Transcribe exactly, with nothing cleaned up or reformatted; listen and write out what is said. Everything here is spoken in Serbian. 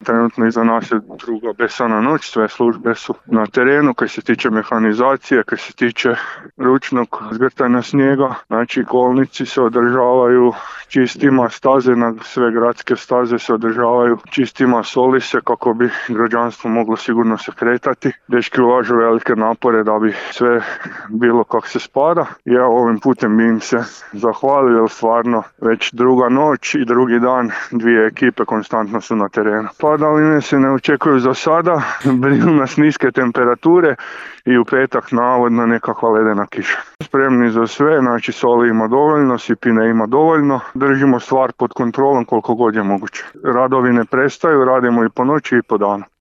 trenutno iza nas je druga besana noć, sve službe su na terenu, kaj se tiče mehanizacije, kaj se tiče ručnog zgrtanja snijega, znači kolnici se održavaju čistima, staze na sve gradske staze se održavaju čistima, soli se kako bi građanstvo moglo sigurno se kretati. Dečki ulažu velike napore da bi sve bilo kako se spada. Ja ovim putem bi im se zahvalio, jer stvarno već druga noć i drugi dan dvije ekipe konstantno su na terenu. Padavine se ne očekuju za sada, brinu nas niske temperature i u petak navodno nekakva ledena kiša. Spremni za sve, znači soli ima dovoljno, sipine ima dovoljno, držimo stvar pod kontrolom koliko god je moguće. Radovi ne prestaju, radimo i po noći i po danu.